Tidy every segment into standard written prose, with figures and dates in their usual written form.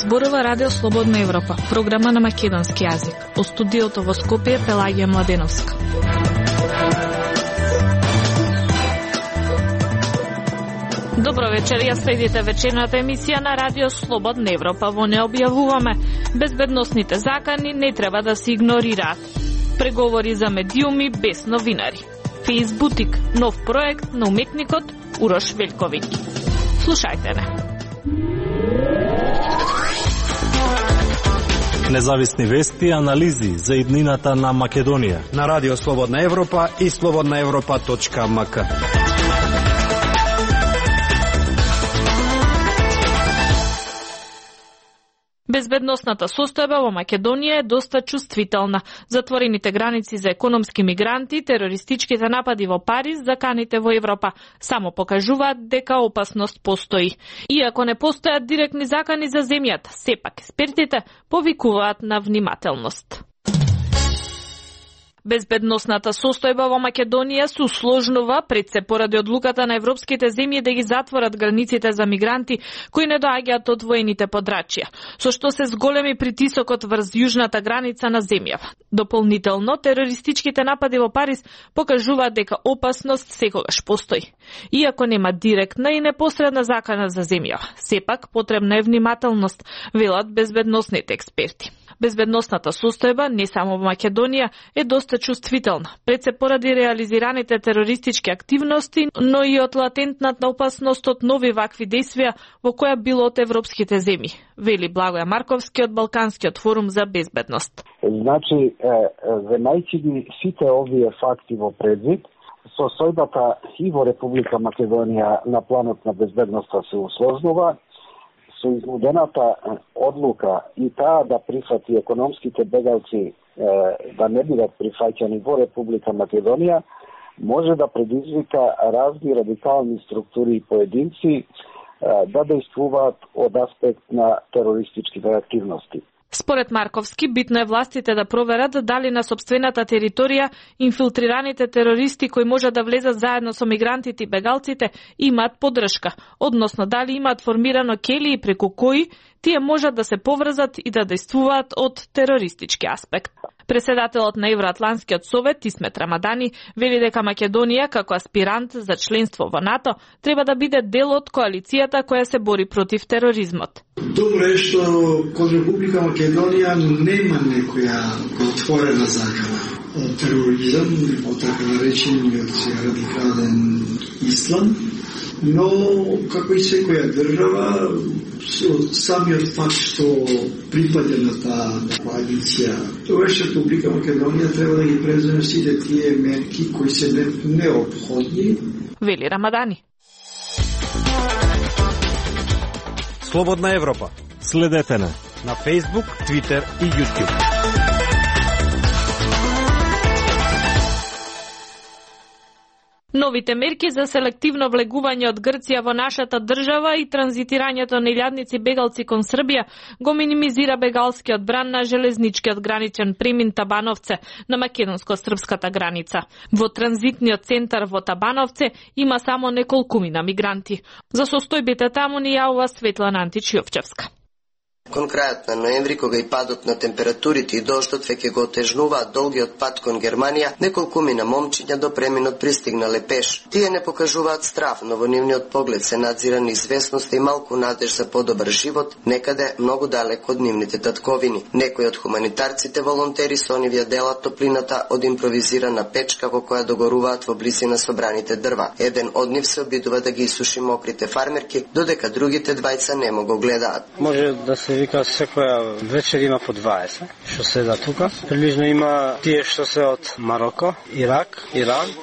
Зборува Радио Слободна Европа, програма на македонски јазик. Од студиото во Скопје Пелагија Младеновска. Добро вечер, ја следите вечерната емисија на Радио Слободна Европа. Во не објавуваме безбедносните закани не треба да се игнорираат. Преговори за медиуми без новинари. Фейсбутик, нов проект на уметникот Урош Велковиќ. Слушајте не. Независни вести и анализи за иднината на Македонија на Радио Слободна Европа и slobodnaevropa.mk. Безбедносната состојба во Македонија е доста чувствителна. Затворените граници за економски мигранти, терористичките напади во Париз, заканите во Европа само покажуваат дека опасност постои. Иако не постојат директни закани за земјата, сепак експертите повикуваат на внимателност. Безбедносната состојба во Македонија се усложнува пред се поради одлуката на европските земји да ги затворат границите за мигранти кои не доаѓаат од воените подрачја, со што се зголеми притисокот врз јужната граница на земјава. Дополнително, терористичките напади во Париз покажуваат дека опасност секогаш постои. Иако нема директна и непосредна закана за земјава, сепак потребна е внимателност, велат безбедносните експерти. Безбедносната состојба не само во Македонија е доста чувствителна, пред се поради реализираните терористички активности, но и од латентната опасност од нови вакви действија во која било од европските земји, вели Благоја Марковски од Балканскиот форум за безбедност. Значи, земајќи ги сите овие факти во предвид, состојбата и во Република Македонија на планот на безбедноста се усложнува, со изнудената одлука и таа да прифати економските бегалци да не бидат прифаќани во Република Македонија, може да предизвика разни радикални структури и поединци да действуваат од аспект на терористичките активности. Според Марковски, битно е властите да проверат дали на сопствената територија инфилтрираните терористи кои можат да влезат заедно со мигрантите и бегалците имаат поддршка, односно дали имаат формирано келии преку кои тие можат да се поврзат и да действуваат од терористички аспект. Преседателот на Евроатланскиот совет Исмет Рамадани вели дека Македонија како аспирант за членство во НАТО треба да биде дел од коалицијата која се бори против тероризмот. Добро е што кон Република Македонија нема некоја отворена закана од тероризам, од така наречениот радикален ислам, но како и секоја држава, самиот факт што припаѓа на таа коалиција, тогаш Република Македонија треба да ги преземе сите тие мерки кои се неопходни, вели Рамадани. Слободна Европа. Следете на Facebook, Twitter и YouTube. Новите мерки за селективно влегување од Грција во нашата држава и транзитирањето на илјадници бегалци кон Србија го минимизира бегалскиот бран на железничкиот граничен премин Табановце на македонско-српската граница. Во транзитниот центар во Табановце има само неколкумина мигранти. За состојбите таму ни јавува Светлана Антич-Јовчевска. Кон крајот на ноември, кога и падот на температурите и дождот веќе го отежнуваат долгиот пат кон Германија, неколкумина момчиња до преминот пристигнале пеш. Тие не покажуваат страв, но во нивниот поглед се надзира неизвестност и малку надеж за подобар живот, некаде многу далеко од нивните татковини. Некои од хуманитарците волонтери со нивја делат топлината од импровизирана печка во која догоруваат во близина собраните дрва. Еден од нив се обидува да ги исуши мокрите фармерки, додека другите двајца немо го гледаат. Може да се вика секоја вечер има по 20 што седа тука. Прилично има тие што се од Мароко, Ирак, Иран.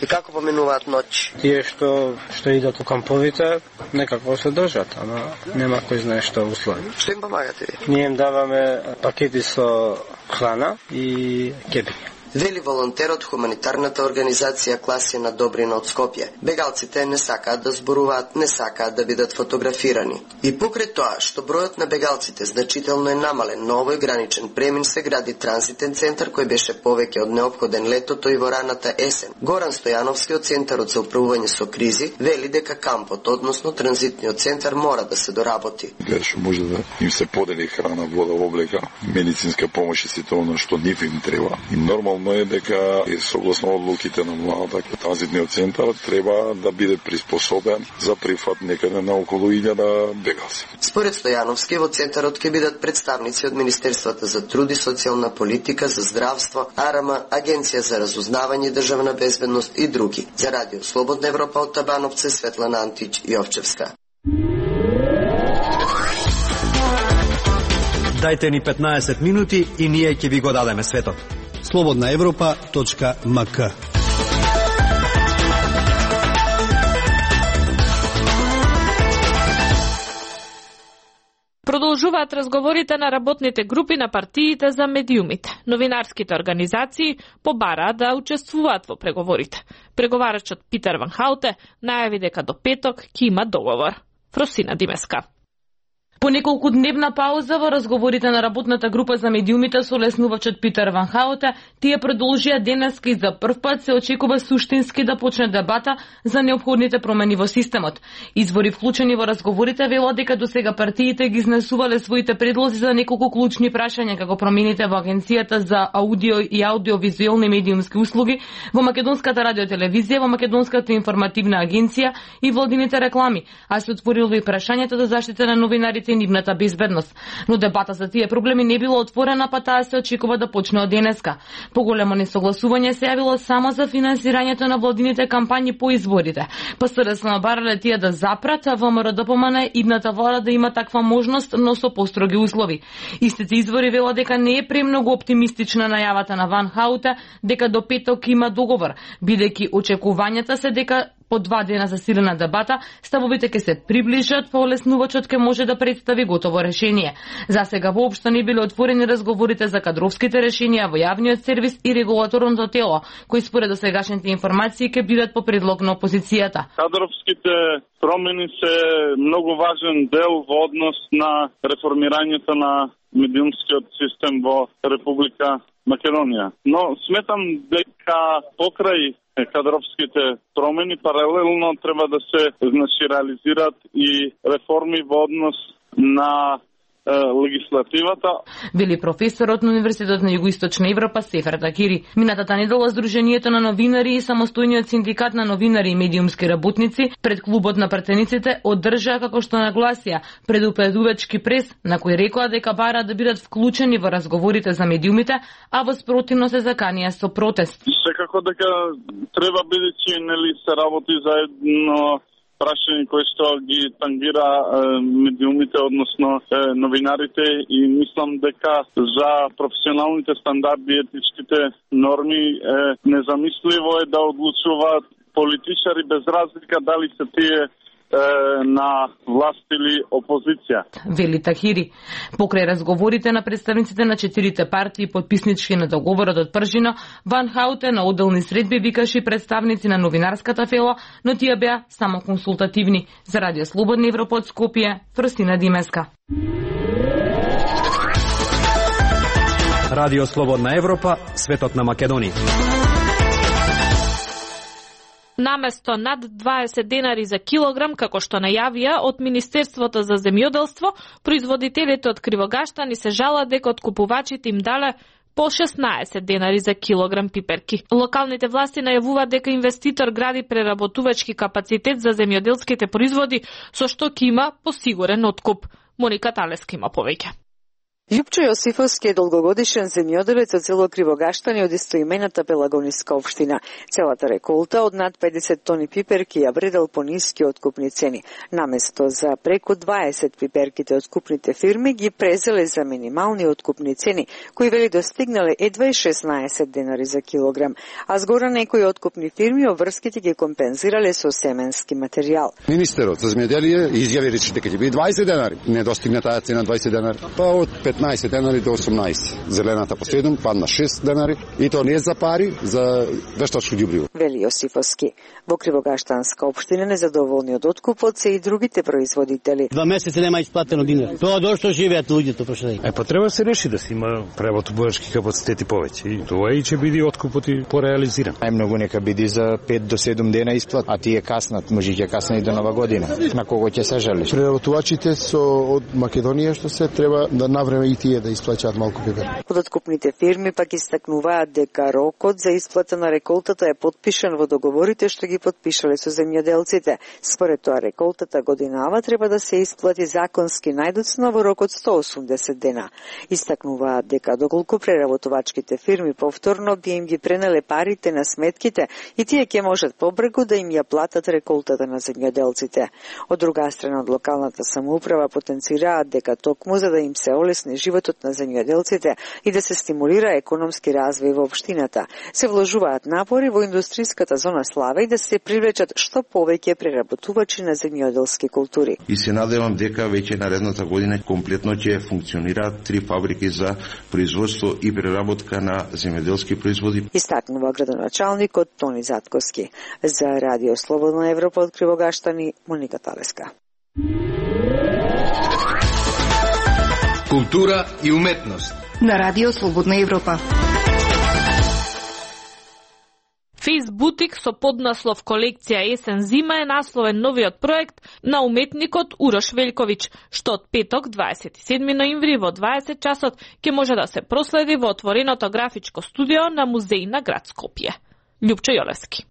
И како поменуваат ноќ? Тие што идат у камповите, некако се држат, ама нема кој знае што услови. Што им помагате ви? Ние им даваме пакети со храна и кепи. вели волонтер од хуманитарната организација Класина Добрина од Скопје. Бегалците не сакаат да зборуваат, не сакаат да бидат фотографирани. И покрај тоа што бројот на бегалците значително е намален, на овој граничен премин се гради транзитен центар кој беше повеќе од неопходен летото и во раната есен. Горан Стојановски од Центарот за управување со кризи вели дека кампот, односно транзитниот центар, мора да се доработи. Што може да им се подели храна, вода, облека, медицинска помош и сите она што нив им треба. И нормално е дека согласно одлуките на владата, транзитниот центар треба да биде приспособен за прифат некаде на околу 1000 бегалци. Според Стојановски, во центарот ќе бидат представници од Министерството за труд и социјална политика, за здравство, АРМ, Агенција за разузнавање и државна безбедност и други. За Радио Слободна Европа од Табановце, Светлана Антич и Овчевска. Дајте ни 15 минути и ние ќе ви го дадеме светот. slobodnaevropa.mk. Продолжуваат разговорите на работните групи на партиите за медиумите. Новинарските организации побараат да учествуваат во преговорите. Преговарачот Питер Ван Хауте најави дека до петок ќе има договор. Фросина Димеска. По неколку дневна пауза во разговорите на работната група за медиумите со леснувачот Питер Ван Хауте, тие продолжија денеска и за прв пат се очекува суштински да почне дебата за неопходните промени во системот. Извори вклучени во разговорите велат дека досега партиите ги изнесувале своите предлози за неколку клучни прашања, како промените во Агенцијата за аудио и аудиовизуелни медиумски услуги, во Македонската радиотелевизија, во Македонската информативна агенција и владините реклами, а се отворило и прашањето за заштита на новинарите и нивната безбедност. Но дебата за тие проблеми не била отворена, па таа се очекува да почне од денеска. Поголемо несогласување се јавило само за финансирањето на владините кампањи по изборите. ПСРС набарале тие да запрат, а ВМРО допомане идната влада да има таква можност, но со построги услови. Истите извори велат дека не е премногу оптимистична најавата на Ван Хауте дека до петок има договор, бидејќи очекувањата се дека по 2 дена засилена дебата, ставовите ќе се приближат, па олеснувачот ќе може да представи готово решение. За сега воопшто не биле отворени разговорите за кадровските решенија во јавниот сервис и регулаторното тело, кои според досегашните информации ќе бидат по предлог на опозицијата. Кадровските промени се многу важен дел во однос на реформирањето на медиумскиот систем во Република Македонија. Но сметам дека покрај кадровските промени паралелно треба да се реализираат и реформи во однос на легислативата. Вели професорот на Универзитетот на Југоисточна Европа Сефер Такири. Минатата недела Сдруженијето на новинари и самостојниот синдикат на новинари и медиумски работници пред клубот на пратениците одржаа, како што нагласија, предупредувачки прес на кој рекоа дека бараат да бидат вклучени во разговорите за медиумите, а во спротивно се заканија со протест. Секако дека треба бидејќи нели се работи заедно прашање кои што ги тангира медиумите, односно новинарите, и мислам дека за професионалните стандарди и етичките норми незамисливо е да одлучуваат политичари без разлика дали се тие на власт или опозиција. Вели Тахири. Покрај разговорите на представниците на 4 партии подписнички на договорот од пржина, Ван Хауте на одделни средби викаше представници на новинарската фела, но тие беа само консултативни. За Радио Слободна Европа од Скопје, Фростина Димеска. Радио Слободна Европа, светот на Македонија. Наместо над 20 денари за килограм, како што најавија од Министерството за земјоделство, производителите од Кривогаштани се жалат дека откупувачите им дале по 16 денари за килограм пиперки. Локалните власти најавуваат дека инвеститор гради преработувачки капацитет за земјоделските производи, со што ќе има посигурен откуп. Моника Талеска има повеќе. Љупчо Јосифовски е долгогодишен земјоделец од село Кривогаштани од истоимената Пелагониска општина. Целата реколта од над 50 тони пиперки ја вредел по ниски откупни цени. Наместо за преку 20 пиперките откупните фирми ги презеле за минимални откупни цени, кои вели достигнале едва и 16 денари за килограм, а згора некои откупни фирми обврските ги компензирале со семенски материјал. Министерот за земјоделие изјави речи дека ќе биде 20 денари. Не достигна таа цена 20 денари. Па од 15 15 денари до 18. Зелената по 7 падна 6 денари и тоа не е за пари, за вештачко ѓубриво. Вели Јосифовски. Во Кривогаштанска општина незадоволни од откупот се и другите производители. 2 месеци нема исплатено динар. Тоа дошто живеат луѓето пошли. Па треба да се реши да се има преработувачки капацитети повеќе. И тоа и ќе биде откупот и пореализиран. Најмногу нека биде за 5 до 7 дена исплат, а тие каснат, може ќе каснат и до Нова година. На кого ќе се жалиш? Преработувачите од Македонија што се треба да навреме и тие да исплаќаат малку пипер. Од откупните фирми пак истакнуваат дека рокот за исплата на реколтата е потпишан во договорите што ги потпишале со земјоделците. Според тоа реколтата годинава треба да се исплати законски најдоцна во рок од 180 дена. Истакнуваат дека доколку преработувачките фирми повторно би им ги пренеле парите на сметките и тие ќе можат побрегу да им ја платат реколтата на земјоделците. Од друга страна, од локалната самоуправа потенцираат дека токму за да им се олесни животот на земјоделците и да се стимулира економски развој во општината, се вложуваат напори во индустријската зона Славе и да се привлечат што повеќе преработувачи на земјоделски култури. И се надевам дека веќе наредната година комплетно ќе функционираат 3 фабрики за производство и преработка на земјоделски производи. Истакнува градоначалникот Тони Затковски. За Радио Слободна Европа од Кривогаштани, Моника Талеска. Култура и уметност на Радио Слободна Европа. Фейсбутик со поднаслов колекција есен-зима е насловен новиот проект на уметникот Урош Велјковиќ, што од петок 27 ноември во 20 часот ќе може да се проследи во отвореното графичко студио на музеј на град Скопје. Љупчо Јолевски.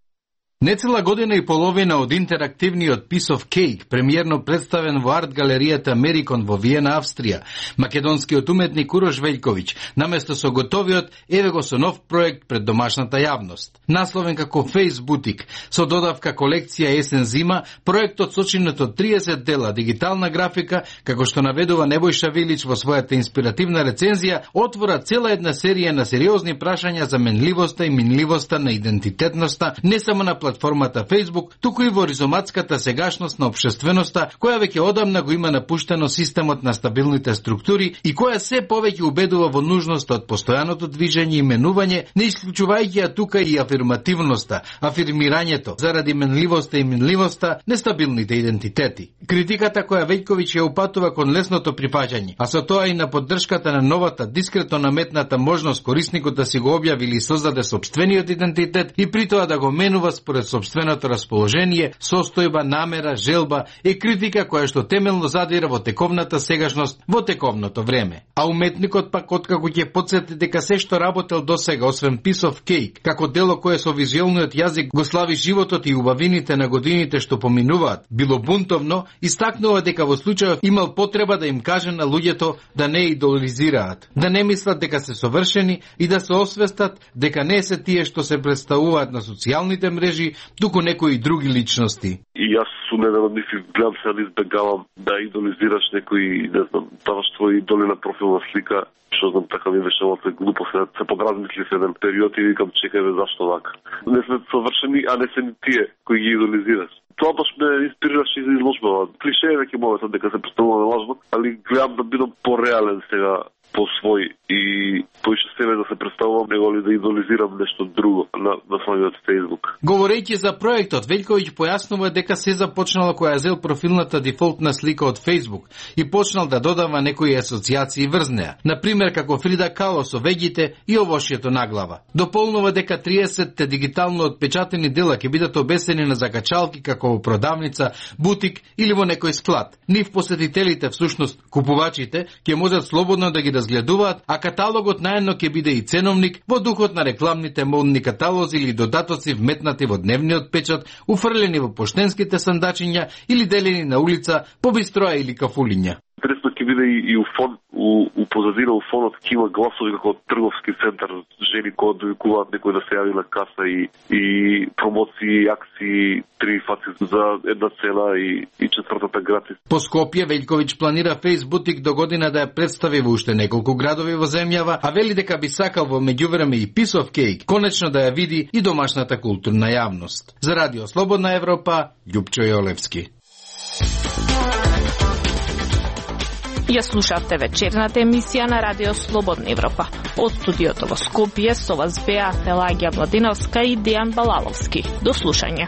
Нецела година и половина од интерактивниот Piece of Cake, премиерно представен во арт галеријата Мерикон во Виена, Австрија, македонскиот уметник Урош Велјковиќ, наместо со готовиот, еве го со нов проект пред домашната јавност. Насловен како Фейсбутик, со додавка колекција есен-зима, проектот сочинет од 30 дела дигитална графика, како што наведува Небојша Вилич во својата инспиративна рецензија, отвора цела една серија на сериозни прашања за менливоста и минливоста на идентитетноста, не само на платформата Facebook, туку и во ризоматската сегашност на општественоста, која веќе одамна го има напуштено системот на стабилните структури и која се повеќе убедува во нужноста од постојаното движење и менување, не исклучувајќи ја тука и афирмативноста, афирмирањето, заради менливоста и минливоста, нестабилните идентитети. Критиката која Велјковиќ ја упатува кон лесното прифаќање, а со тоа и на поддршката на новата дискретно наметната можност корисникот да си го објави или создаде сопствениот идентитет и при тоа да го менува според сопственото расположение, состојба, намера, желба, е критика која што темелно задира во тековната сегашност, во тековното време. А уметникот пак откако ќе потсети дека се што работел досега, освен Piece of Cake, како дело кое со визуелниот јазик го слави животот и убавините на годините што поминуваат, било бунтовно, истакнува дека во случајот имал потреба да им каже на луѓето да не идолизираат, да не мислат дека се совршени и да се освестат дека не се тие што се представуваат на социјалните мрежи, туку некои други личности. И јас сум еден од нив и гледам се да избегавам да идолизираш некој, не знам, даваш твој идоли на профилна слика, што знам, така ми беше овој глупо се подразмисли се еден период и викам чекај бе зашто вака. Не сме совршени, а не се ни тие кои ги идолизираш. Тоа баш ме инспирираше и за изложба. Клише е веќе моето дека се представуваме лажно, али гледам да бидам пореален сега по свој и поише себе да се представувам, него ли да идолизирам нешто друго на самиот Facebook. Говорејќи за проектот, Велјковиќ појаснува дека се започнало која зел профилната дефолтна слика од Facebook и почнал да додава некои асоциации врз неа. Например, како Фрида Кало со веѓите и овошјето наглава. Дополнува дека 30 дигитално отпечатени дела ќе бидат обесени на закачалки како во продавница, бутик или во некој склад. Нив посетителите, всушност купувачите, ќе можат слободно да ги разгледуваат, а каталогот наедно ќе биде и ценовник во духот на рекламните модни каталози или додатоци вметнати во дневниот печат, уфрлени во поштенските сандачиња или делени на улица по бистроа или кафулиња. Интересно ќе биде и у фон, у позадина, у фонот ќе има гласови како трговски центар, жени кои довикуваат некој да се јави на каса и промоции, акции, 3 фаци за една цена и четвртата гратис. По Скопје Велјковиќ планира Фейсбутик до година да ја представи во уште неколку градови во земјава, а вели дека би сакал во меѓувреме и Piece of Cake конечно да ја види и домашната културна јавност. За Радио Слободна Европа, Љупчо Јолевски. Ја слушавте вечерната емисија на Радио Слободна Европа. Од студиото во Скопје со вас беа Пелагија Владиновска и Дејан Балаловски. До слушање.